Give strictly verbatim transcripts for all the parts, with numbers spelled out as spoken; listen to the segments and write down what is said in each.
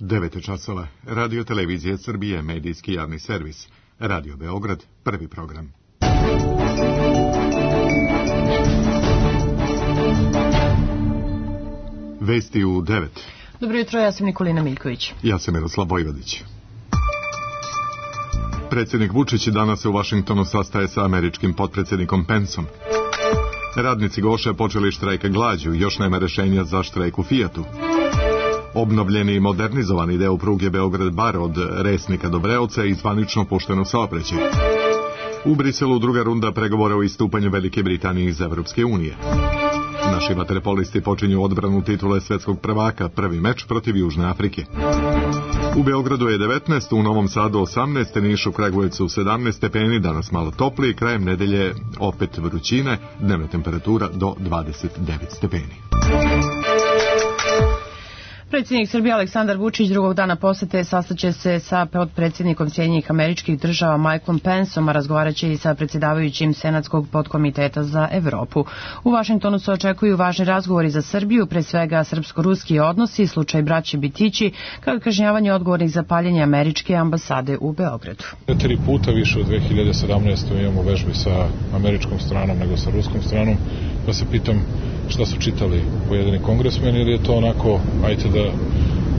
devet časova. Radio Televizija Srbije, medijski javni servis. Radio Beograd, prvi program. Vesti u devet. Dobro jutro, ja sam Nikolina Miljković. Ja sam Miroslav Vojvodić. Predsjednik Vučić danas se u Vašingtonu sastaje sa američkim potpredsjednikom Penceom. Radnici Goše počeli štrajk glađu, još nema rešenja za štrajk u Fijatu. Obnovljeni i modernizovani deo pruge Beograd-Bar od Resnika do Breoca i zvanično pušten u saobraćaj. U Briselu druga runda pregovora o istupanju Velike Britanije iz Evropske unije. Naši vaterpolisti počinju odbranu titule svetskog prvaka, prvi meč protiv Južne Afrike. U Beogradu je devetnaest, u Novom Sadu osamnaest, Nišu, Kragujevcu sedamnaest stepeni, danas malo toplije, krajem nedelje opet vrućine, dnevna temperatura do dvadeset devet stepeni. Predsjednik Srbije Aleksandar Vučić drugog dana posete sastaće se sa potpredsjednikom Sjedinjenih Američkih Država Michaelom Penceom, a razgovaraće i sa predsjedavajućim Senatskog podkomiteta za Evropu. U Vašingtonu se očekuju važni razgovori za Srbiju, pre svega srpsko-ruski odnosi, slučaj braće Bitići, kao i kažnjavanje odgovornih za paljenje američke ambasade u Beogradu. Tri puta više u dve hiljade sedamnaestoj imamo vežbe sa američkom stranom nego sa ruskom stranom, pa se pitam šta su čitali pojedini kongresmeni, ili je to onako, ajte da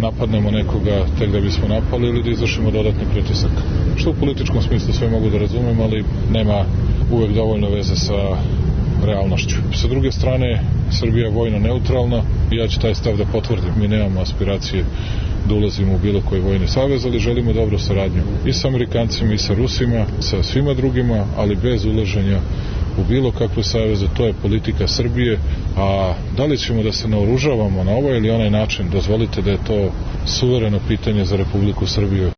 napadnemo nekoga tek da bismo napali ili da izvršimo dodatni pritisak. Što u političkom smislu sve mogu da razumem, ali nema uvek dovoljno veze sa realnošću. Sa druge strane, Srbija je vojno neutralna i ja ću taj stav da potvrdim. Mi nemamo aspiracije da ulazimo u bilo koji vojni savez, ali želimo dobru saradnju i sa Amerikancima i sa Rusima, sa svima drugima, ali bez ulaženja u bilo kakvu savezu. To je politika Srbije, a da li ćemo da se naoružavamo na ovaj ili onaj način, dozvolite da je to suvereno pitanje za Republiku Srbiju.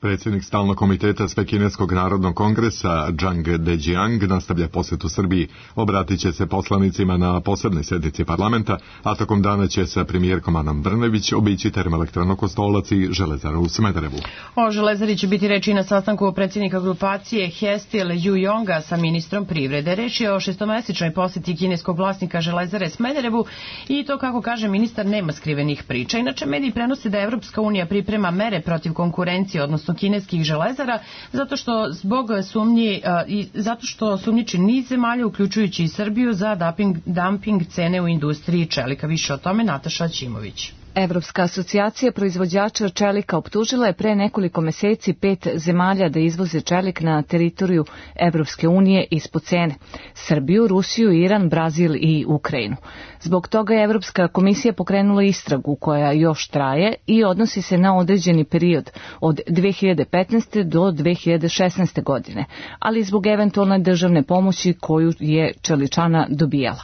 Predsjednik stalnog komiteta Svekineskog narodnog kongresa Zhang Dejiang nastavlja posjetu Srbiji. Obratit će se poslanicima na posebnoj sjednici parlamenta, a tokom dana će sa premijerkom Anom Brnabić obići termoelektranu Kostolac i Železaru u Smederevu. O Železari će biti reči na sastanku predsjednika grupacije Hestil Yu-Yonga sa ministrom privrede. Reč je o šestomesečnoj posjeti kineskog vlasnika Železare Smederevu i to, kako kaže ministar, nema skrivenih priča. Inače, mediji prenose da Evropska unija priprema mere protiv konkurencije, odnosno kineskih železara, zato što zbog sumnji i zato što sumnjiči niz zemalja, uključujući i Srbiju, za dumping, dumping cene u industriji čelika. Više o tome Nataša Ćimović. Evropska asocijacija proizvođača čelika optužila je pre nekoliko meseci pet zemalja da izvoze čelik na teritoriju Evropske unije ispod cene: Srbiju, Rusiju, Iran, Brazil i Ukrajinu. Zbog toga je Evropska komisija pokrenula istragu koja još traje i odnosi se na određeni period od dve hiljade petnaeste. do dve hiljade šesnaeste. godine, ali zbog eventualne državne pomoći koju je čeličana dobijala.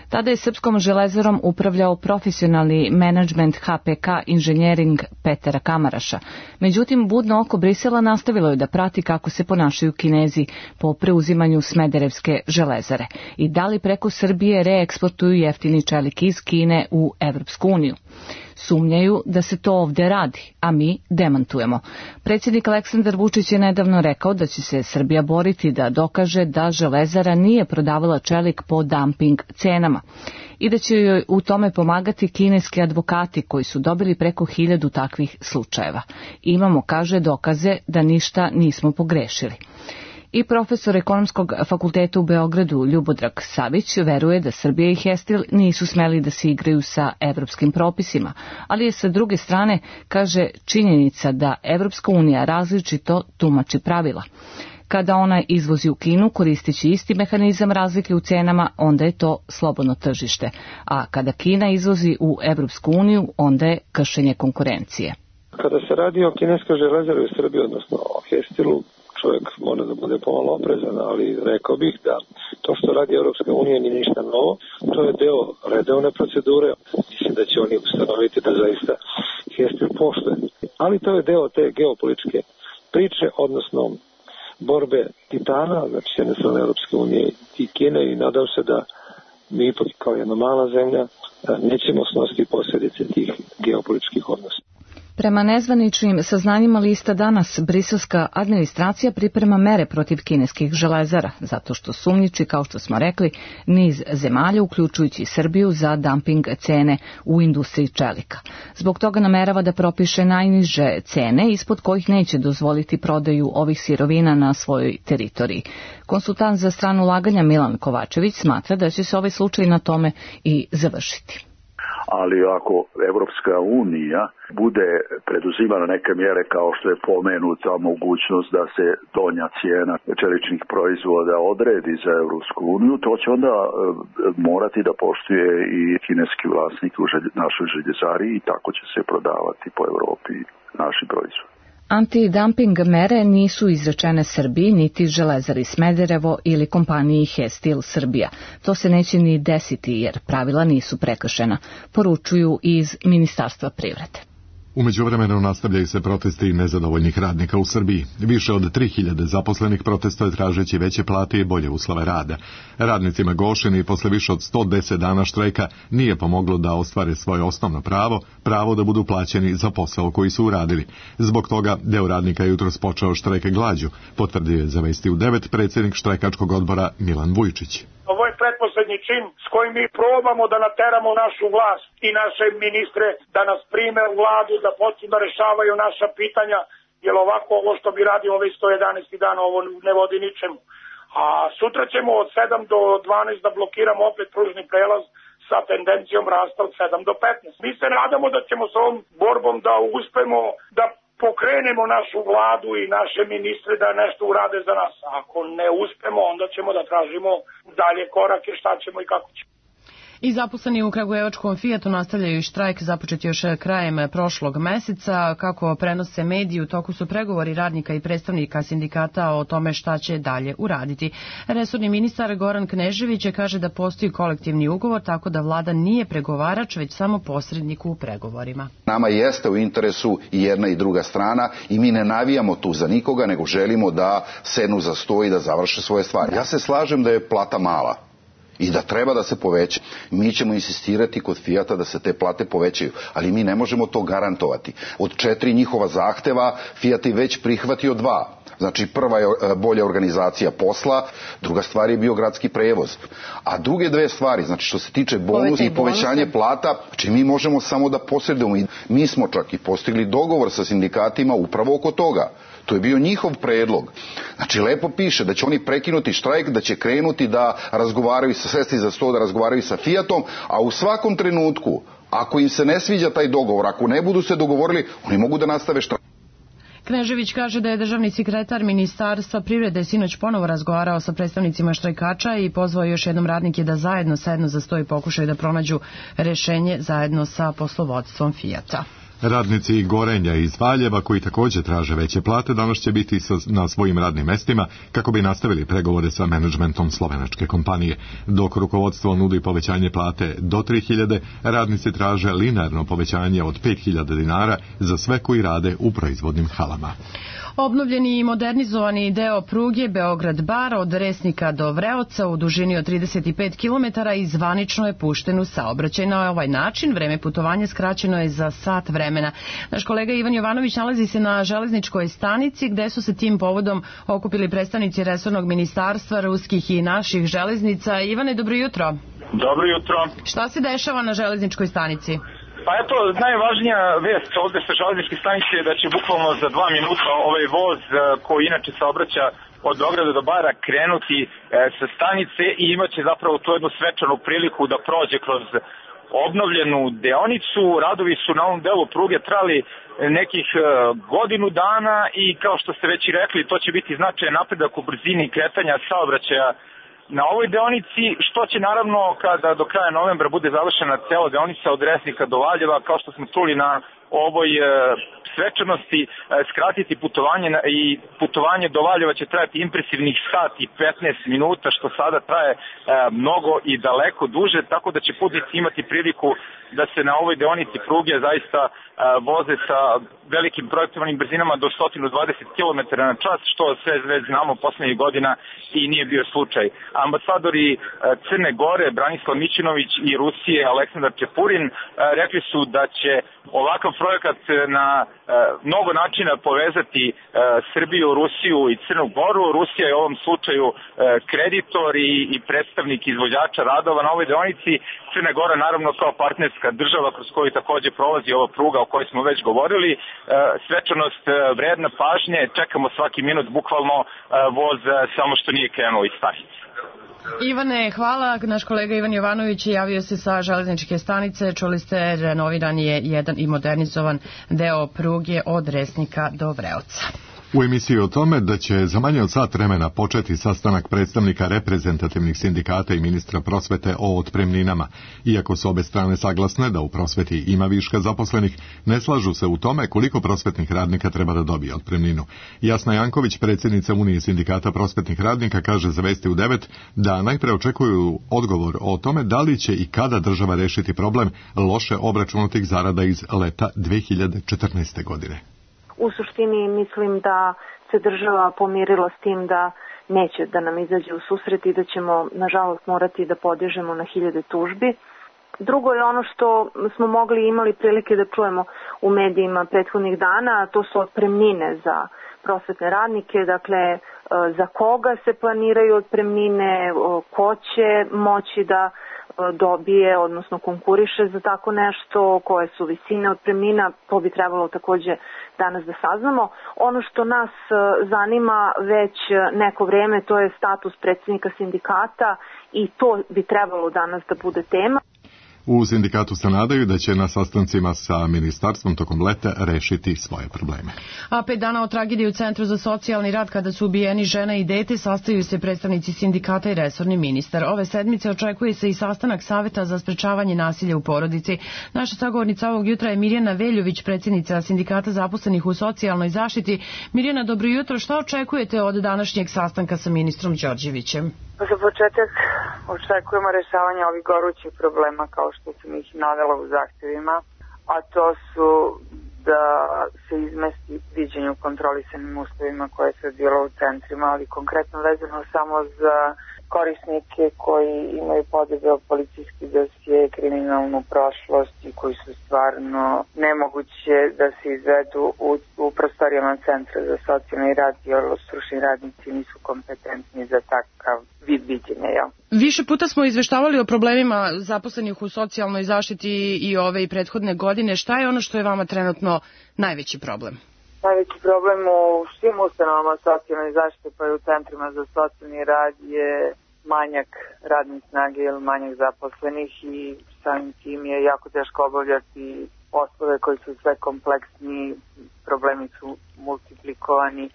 Tada je Srpskom železarom upravljao profesionalni menadžment H P K Inženjering Petera Kamaraša. Međutim, budno oko Brisela nastavilo je da prati kako se ponašaju Kinezi po preuzimanju Smederevske železare i da li preko Srbije reeksportuju jeftini čelik iz Kine u Evropsku uniju. Sumnjaju da se to ovde radi, a mi demantujemo. Predsjednik Aleksandar Vučić je nedavno rekao da će se Srbija boriti da dokaže da železara nije prodavala čelik po dumping cenama i da će joj u tome pomagati kineski advokati koji su dobili preko hiljadu takvih slučajeva. Imamo, kaže, dokaze da ništa nismo pogrešili. I profesor ekonomskog fakulteta u Beogradu Ljubodrag Savić veruje da Srbija i Hestil nisu smeli da se igraju sa evropskim propisima, ali je sa druge strane, kaže, činjenica da Evropska unija različito tumači pravila. Kada ona izvozi u Kinu koristeći isti mehanizam razlike u cenama, onda je to slobodno tržište, a kada Kina izvozi u Evropsku uniju, onda je kršenje konkurencije. Kada se radi o kineskoj železari u Srbiji, odnosno o Hestilu, čovjek mora da bude pomalo oprezan, ali rekao bih da to što radi Evropska unija nije ništa novo, to je deo redovne procedure. Mislim da će oni ustanoviti da zaista Hestil poštuje. Ali to je deo te geopolitičke priče, odnosno borbe titana, znači s jedne strane Evropske unije i Kine, i nadam se da mi ipak kao jedna mala zemlja nećemo snositi posljedice tih geopolitičkih odnosa. Prema nezvaničnim saznanjima lista Danas, briselska administracija priprema mere protiv kineskih železara, zato što sumnjiči, kao što smo rekli, niz zemalja, uključujući Srbiju, za dumping cene u industriji čelika. Zbog toga namerava da propiše najniže cene, ispod kojih neće dozvoliti prodaju ovih sirovina na svojoj teritoriji. Konsultant za strano ulaganja Milan Kovačević smatra da će se ovaj slučaj na tome i završiti. Ali ako Evropska unija bude preduzimala neke mjere kao što je pomenuta mogućnost da se donja cijena čeličnih proizvoda odredi za Evropsku uniju, to će onda morati da poštuje i kineski vlasnik u našoj željezari i tako će se prodavati po Evropi naši proizvodi. Antidumping mere nisu izrečene Srbiji, niti Železari Smederevo ili kompaniji Hestil Srbija. To se neće ni desiti jer pravila nisu prekršena, poručuju iz Ministarstva privrede. U međuvremenu nastavljaju se protesti nezadovoljnih radnika u Srbiji. Više od tri hiljade zaposlenih protestuje tražeći veće plate i bolje uslove rada. Radnicima Gošini posle više od sto deset dana štrajka nije pomoglo da ostvare svoje osnovno pravo, pravo da budu plaćeni za posao koji su uradili. Zbog toga deo radnika je jutros počeo štrajk glađu, potvrdio je za Vesti u devet predsjednik štrajkačkog odbora Milan Vujčić. Ovo je pretposlednji čin s kojim mi probamo da nateramo našu vlast i naše ministre da nas prime u vladu, da počnu da rešavaju naša pitanja, jer ovako ovo što bi radio ove sto jedanaest dana, ovo ne vodi ničemu. A sutra ćemo od sedam do dvanaest da blokiramo opet pružni prelaz sa tendencijom rasta od sedam do petnaest. Mi se nadamo da ćemo s ovom borbom da uspemo da pokrenemo našu vladu i naše ministre da nešto urade za nas. Ako ne uspemo, onda ćemo da tražimo dalje korake, šta ćemo i kako ćemo. I zaposleni u kragujevačkom Fijatu nastavljaju štrajk započeti još krajem prošlog meseca. Kako prenose mediji, u toku su pregovori radnika i predstavnika sindikata o tome šta će dalje uraditi. Resorni ministar Goran Knežević kaže da postoji kolektivni ugovor, tako da vlada nije pregovarač, već samo posrednik u pregovorima. Nama jeste u interesu i jedna i druga strana i mi ne navijamo tu za nikoga, nego želimo da sednu za sto i da završe svoje stvari. Ja se slažem da je plata mala i da treba da se poveća. Mi ćemo insistirati kod Fijata da se te plate povećaju, ali mi ne možemo to garantovati. Od četiri njihova zahteva Fijat je već prihvatio dva. Znači, prva je bolja organizacija posla, druga stvar je bio gradski prevoz. A druge dve stvari, znači što se tiče bonusa i povećanje plata, znači mi možemo samo da posredujemo. Mi smo čak i postigli dogovor sa sindikatima upravo oko toga. To je bio njihov predlog. Znači, lepo piše da će oni prekinuti štrajk, da će krenuti da razgovaraju sa sesti za sto, da razgovaraju sa Fijatom, a u svakom trenutku, ako im se ne sviđa taj dogovor, ako ne budu se dogovorili, oni mogu da nastave štrajk. Knežević kaže da je državni sekretar Ministarstva privrede sinoć ponovo razgovarao sa predstavnicima štrajkača i pozvao još jednom radnike da zajedno sednu za sto i pokušaju da pronađu rešenje zajedno sa poslovodstvom Fijata. Radnici Gorenja iz Valjeva, koji također traže veće plate, danas će biti na svojim radnim mestima kako bi nastavili pregovore sa menadžmentom slovenačke kompanije. Dok rukovodstvo nudi povećanje plate do tri hiljade, radnici traže linearno povećanje od pet hiljada dinara za sve koji rade u proizvodnim halama. Obnovljeni i modernizovani deo pruge Beograd-Bar od Resnika do Vreoca u dužini od trideset pet kilometara i zvanično je pušten u saobraćaj. Na ovaj način vreme putovanja skraćeno je za sat vremena. Naš kolega Ivan Jovanović nalazi se na železničkoj stanici gde su se tim povodom okupili predstavnici resornog ministarstva, ruskih i naših železnica. Ivane, dobro jutro. Dobro jutro. Šta se dešava na železničkoj stanici? Pa eto, najvažnija vest ovde sa železničke stanice je da će bukvalno za dva minuta ovaj voz koji inače saobraća od Beograda do Bara krenuti e, sa stanice i imaće zapravo tu jednu svečanu priliku da prođe kroz obnovljenu deonicu. Radovi su na ovom delu pruge trali nekih e, godinu dana i kao što ste već i rekli, to će biti značajan napredak u brzini kretanja saobraćaja na ovoj deonici, što će naravno kada do kraja novembra bude završena cela deonica od Resnika do Valjeva, kao što smo čuli na ovoj e, svečanosti skratiti putovanje i putovanje do Valjeva će trajati impresivnih sat i petnaest minuta, što sada traje mnogo i daleko duže, tako da će putnici imati priliku da se na ovoj deonici pruge zaista voze sa velikim projektovanim brzinama do sto dvadeset kilometara na čas, što sve već znamo poslednjih godina i nije bio slučaj. Ambasadori Crne Gore, Branislav Mićinović, i Rusije, Aleksandar Čepurin, rekli su da će ovakav projekat na mnogo načina povezati Srbiju, Rusiju i Crnu Goru. Rusija je u ovom slučaju kreditor i, i predstavnik izvođača radova na ovoj deonici. Crna Gora naravno kao partnerska država kroz koju takođe prolazi ova pruga o kojoj smo već govorili. Svečanost vredna pažnje, čekamo svaki minut, bukvalno voz samo što nije krenuo iz stanice. Ivane, hvala. Naš kolega Ivan Jovanović javio se sa železničke stanice. Čuli ste, renoviran je jedan i modernizovan deo pruge od Resnika do Vreoca. U emisiji o tome da će za manje od sat vremena početi sastanak predstavnika reprezentativnih sindikata i ministra prosvete o otpremninama. Iako su obe strane saglasne da u prosveti ima viška zaposlenih, ne slažu se u tome koliko prosvetnih radnika treba da dobije otpremninu. Jasna Janković, predsjednica Unije sindikata prosvetnih radnika, kaže za Vesti u devet da najpre očekuju odgovor o tome da li će i kada država rešiti problem loše obračunatih zarada iz leta dve hiljade četrnaeste. godine. U suštini mislim da se država pomirila s tim da neće da nam izađe u susret i da ćemo nažalost morati da podižemo na hiljade tužbi. Drugo je ono što smo mogli i imali prilike da čujemo u medijima prethodnih dana, a to su otpremnine za prosvetne radnike, dakle za koga se planiraju otpremnine, ko će moći da dobije, odnosno konkuriše za tako nešto, koje su visine otpremnina, to bi trebalo takođe danas da saznamo. Ono što nas zanima već neko vreme, to je status predsjednika sindikata i to bi trebalo danas da bude tema. U sindikatu se nadaju da će na sastancima sa ministarstvom tokom leta rešiti svoje probleme. A pet dana od tragedije u Centru za socijalni rad kada su ubijeni žena i dete sastaju se predstavnici sindikata i resorni ministar. Ove sedmice očekuje se i sastanak Saveta za sprečavanje nasilja u porodici. Naša sagovornica ovog jutra je Mirjana Veljović, predsjednica sindikata zaposlenih u socijalnoj zaštiti. Mirjana, dobro jutro. Šta očekujete od današnjeg sastanka sa ministrom Đorđevićem? Za početak očekujemo rešavanje ovih gorućih problema kao što sam ih navela u zahtjevima, a to su da se izmesti viđenje u kontrolisanim uslovima koje se odvijelo u centrima, ali konkretno vezano samo za korisnike koji imaju podebeo policijski dosije, kriminalnu prošlost i koji su stvarno nemoguće da se izvedu u, u prostorijama Centra za socijalni rad, jer stručni radnici nisu kompetentni za takav vid viđenja. Ja. Više puta smo izveštavali o problemima zaposlenih u socijalnoj zaštiti i ove i prethodne godine. Šta je ono što je vama trenutno najveći problem? Najveći problem u svim ustanovama socijalne zaštite pa i u centrima za socijalni rad je manjak radne snage ili manjak zaposlenih i samim tim je jako teško obavljati poslove koji su sve kompleksni, problemi su multiplikovani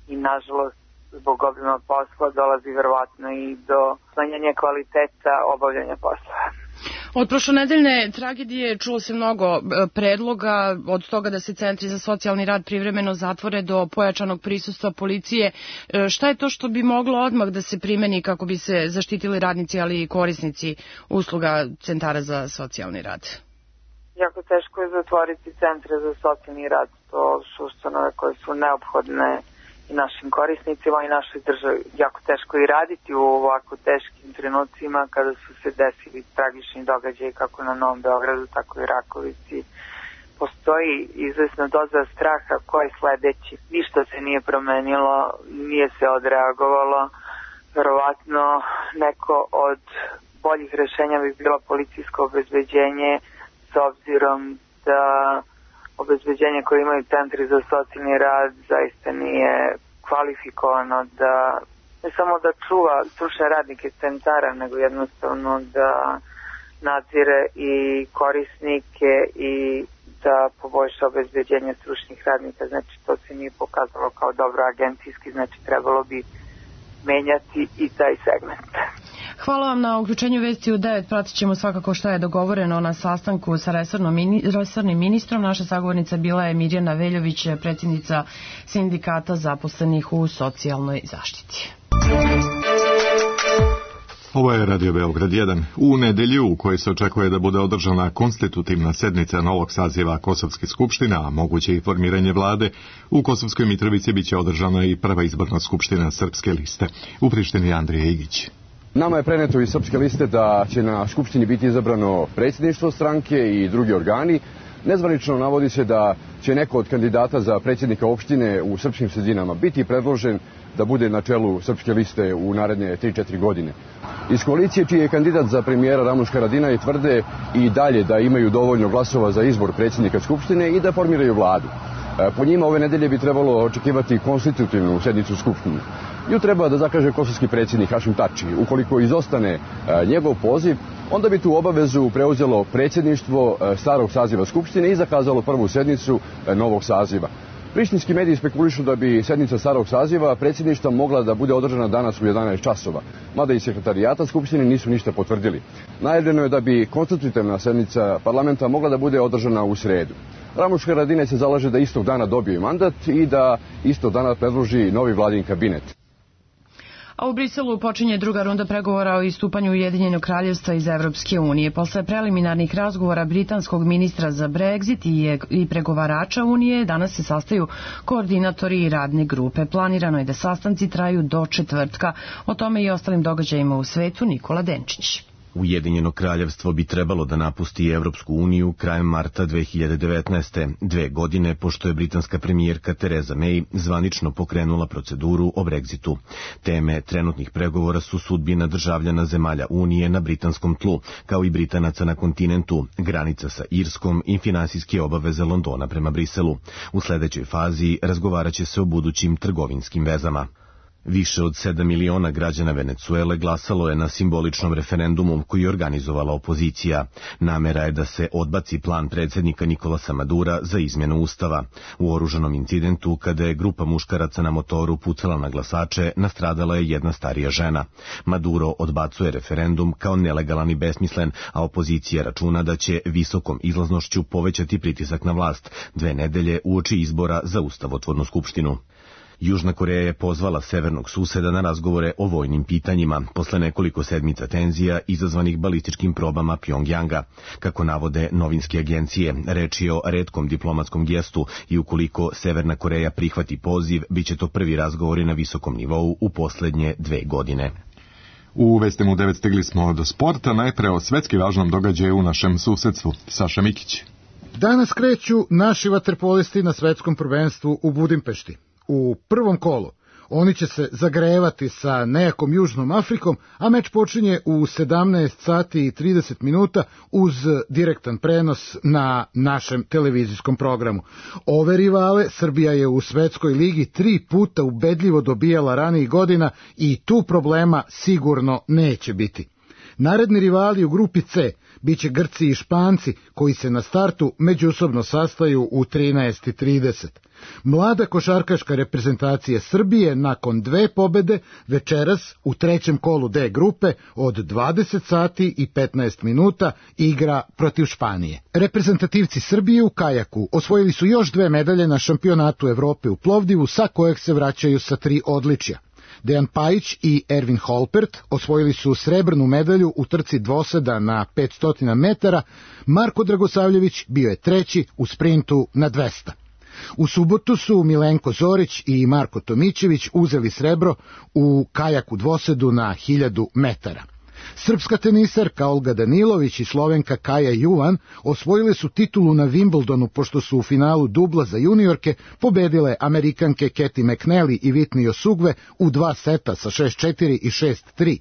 i nažalost zbog obima posla dolazi verovatno i do smanjenja kvaliteta obavljanja posla. Od prošlonedeljne tragedije čulo se mnogo predloga, od toga da se centri za socijalni rad privremeno zatvore do pojačanog prisustva policije. Šta je to što bi moglo odmah da se primeni kako bi se zaštitili radnici, ali i korisnici usluga centara za socijalni rad? Jako teško je zatvoriti centre za socijalni rad. To su ustanove koje su neophodne i našim korisnicima i našoj državi. Jako teško i raditi u ovako teškim trenucima kada su se desili tragični događaji kako na Novom Beogradu, tako i Rakovici. Postoji izvesna doza straha ko je sledeći. Ništa se nije promenilo, nije se odreagovalo. Verovatno neko od boljih rešenja bi bilo policijsko obezbeđenje, s obzirom da obezbeđenje koje imaju centri za socijalni rad zaista nije kvalifikovano da ne samo da čuva stručne radnike centara, nego jednostavno da nadzire i korisnike i da poboljša obezbeđenje stručnih radnika. Znači to se nije pokazalo kao dobro agencijski, znači trebalo bi menjati i taj segment. Hvala vam na uključenju vesti u devet. Pratit ćemo svakako što je dogovoreno na sastanku sa resornim ministrom. Naša sagovornica bila je Mirjana Veljović, predsjednica sindikata zaposlenih u socijalnoj zaštiti. Ovo je Radio Beograd jedan. U nedelju u kojoj se očekuje da bude održana konstitutivna sednica novog saziva Kosovske skupštine, a moguće i formiranje vlade, u Kosovskoj Mitrovici biće održana i prva izborna skupština Srpske liste. U Prištini Andrija Igić. Nama je preneto iz Srpske liste da će na skupštini biti izabrano predsjedništvo stranke i drugi organi. Nezvanično navodi se da će neko od kandidata za predsjednika opštine u srpskim sredinama biti predložen da bude na čelu Srpske liste u naredne tri četiri godine. Iz koalicije čiji je kandidat za premijera Ramuš Haradinaj tvrde i dalje da imaju dovoljno glasova za izbor predsjednika skupštine i da formiraju vladu. Po njima ove nedelje bi trebalo očekivati konstitutivnu sednicu skupštine. Nju treba da zakaže kosovski predsjednik Hašim Tači. Ukoliko izostane njegov poziv, onda bi tu obavezu preuzelo predsjedništvo starog saziva skupštine i zakazalo prvu sednicu novog saziva. Prištinski mediji spekulišu da bi sednica starog saziva predsjedništva mogla da bude održana danas u jedanaest časova, mada i sekretarijata skupštine nisu ništa potvrdili. Najavljeno je da bi konstitutivna sednica parlamenta mogla da bude održana u sredu. Ramuš Haradinaj se zalaže da istog dana dobije mandat i da istog dana predloži novi vladin kabinet. A u Briselu počinje druga runda pregovora o istupanju Ujedinjenog kraljevstva iz Evropske unije. Posle preliminarnih razgovora britanskog ministra za Brexit i pregovarača Unije danas se sastaju koordinatori i radne grupe. Planirano je da sastanci traju do četvrtka. O tome i ostalim događajima u svetu Nikola Denčić. Ujedinjeno kraljevstvo bi trebalo da napusti Evropsku uniju krajem marta dve hiljade devetnaeste. Dve godine pošto je britanska premijerka Theresa May zvanično pokrenula proceduru o Brexitu. Teme trenutnih pregovora su sudbina državljana zemalja Unije na britanskom tlu, kao i Britanaca na kontinentu, granica sa Irskom i finansijske obaveze Londona prema Briselu. U sledećoj fazi razgovarat će se o budućim trgovinskim vezama. Više od sedam miliona građana Venecuele glasalo je na simboličnom referendumu koji je organizovala opozicija. Namera je da se odbaci plan predsjednika Nikolasa Madura za izmjenu ustava. U oružanom incidentu, kada je grupa muškaraca na motoru pucala na glasače, nastradala je jedna starija žena. Maduro odbacuje referendum kao nelegalan i besmislen, a opozicija računa da će visokom izlaznošću povećati pritisak na vlast dve nedelje uoči izbora za ustavotvornu skupštinu. Južna Koreja je pozvala severnog suseda na razgovore o vojnim pitanjima, posle nekoliko sedmica tenzija izazvanih balističkim probama Pjongjanga. Kako navode novinske agencije, reč je o retkom diplomatskom gestu i ukoliko Severna Koreja prihvati poziv, bit će to prvi razgovori na visokom nivou u poslednje dve godine. U vestima u devet stigli smo do sporta, najpre o svetski važnom događaju u našem susedstvu. Saša Mikić. Danas kreću naši vaterpolisti na svetskom prvenstvu u Budimpešti. U prvom kolu oni će se zagrevati sa nejakom Južnom Afrikom, a meč počinje u sedamnaest sati i trideset minuta uz direktan prenos na našem televizijskom programu. Ove rivale Srbija je u svetskoj ligi tri puta ubedljivo dobijala ranijih godina i tu problema sigurno neće biti. Naredni rivali u grupi C biće Grci i Španci, koji se na startu međusobno sastaju u trinaest i trideset. Mlada košarkaška reprezentacija Srbije nakon dve pobede večeras u trećem kolu D grupe od dvadeset sati i petnaest minuta igra protiv Španije. Reprezentativci Srbije u kajaku osvojili su još dve medalje na šampionatu Evrope u Plovdivu, sa kojeg se vraćaju sa tri odličja. Dejan Pajić i Ervin Holpert osvojili su srebrnu medalju u trci dvoseda na petsto metara, Marko Dragosavljević bio je treći u sprintu na dvesta. U subotu su Milenko Zorić i Marko Tomićević uzeli srebro u kajaku dvosedu na hiljadu metara. Srpska tenisarka Olga Danilović i Slovenka Kaja Juvan osvojile su titulu na Wimbledonu pošto su u finalu dubla za juniorke pobedile Amerikanke Katie McNally i Whitney Osugve u dva seta sa šest četiri i šest tri.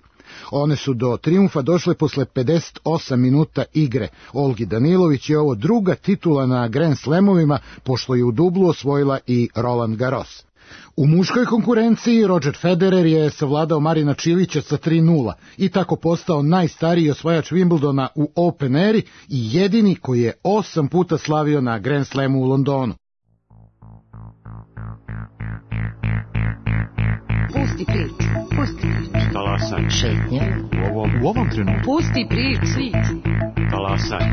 One su do trijumfa došle posle pedeset osam minuta igre. Olgi Danilović je ovo druga titula na Grand Slamovima, pošto je u dublu osvojila i Roland Garros. U muškoj konkurenciji Roger Federer je savladao Marina Čilića sa tri nula i tako postao najstariji osvajač Wimbledona u Open eri i jedini koji je osam puta slavio na Grand Slamu u Londonu. Pusti priču. Pusti priču. Talasaj. Šetnja. U ovom, u ovom trenutku. Pusti priču. Talasaj.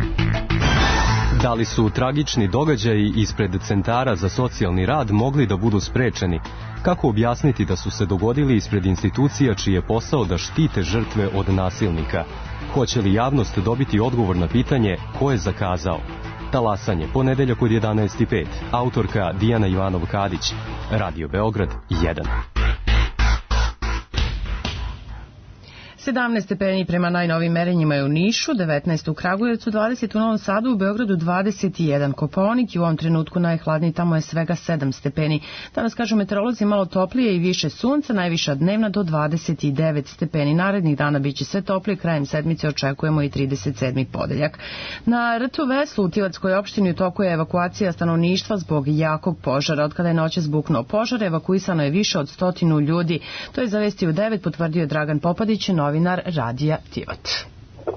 Da li su tragični događaji ispred centara za socijalni rad mogli da budu sprečeni? Kako objasniti da su se dogodili ispred institucija čiji je posao da štite žrtve od nasilnika? Hoće li javnost dobiti odgovor na pitanje ko je zakazao? Talasanje, ponedeljak od jedanaest i pet. Autorka Dijana Ivanov-Kadić. Radio Beograd jedan. sedamnaest stepeni prema najnovim merenjima je u Nišu, devetnaest u Kragujevcu, dvadeset u Novom Sadu, u Beogradu dvadeset jedan. Kopaonik i u ovom trenutku najhladniji, tamo je svega sedam stepeni. Danas, kažu meteorolozi, malo toplije i više sunca, najviša dnevna do dvadeset devet stepeni. Narednih dana biće sve toplije, krajem sedmice očekujemo i trideset sedmi podeljak. Na rtu Veslu u Tivatskoj opštini u toku je evakuacija stanovništva zbog jakog požara. Od kada je noćas buknuo požar, evakuisano je više od stotinu ljudi. To je za Vesti u devet potvrdio Dragan Popadić, novinar Radija Tivat.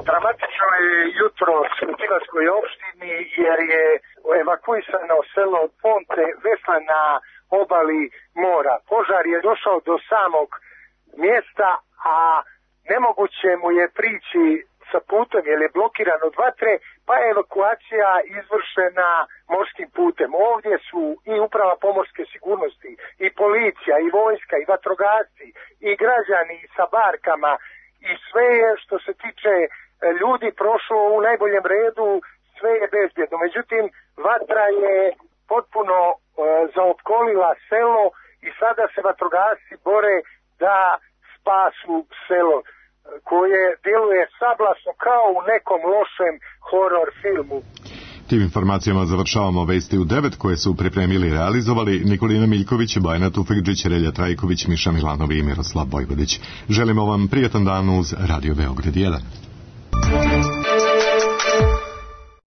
Dramatično je jutro u Tivatskoj opštini jer je evakuisano selo Ponte Vesla na obali mora. Požar je došao do samog mjesta, a nemoguće mu je prići sa putem jer je blokiran od vatre, pa je evakuacija izvršena morskim putem. Ovdje su i uprava pomorske sigurnosti, i policija, i vojska, i vatrogasci, i građani sa barkama, i sve je što se tiče ljudi prošlo u najboljem redu, sve je bezbjedno. Međutim, vatra je potpuno e, zaopkolila selo i sada se vatrogasci bore da spasu selo koje djeluje sablasno kao u nekom lošem horor filmu. Tim informacijama završavamo Vesti u devet koje su pripremili i realizovali Nikolina Miljković, Bajana Tufekđić, Relja Trajković, Miša Milanovi i Miroslav Bojvodić. Želimo vam prijatan dan uz Radio Beograd jedan.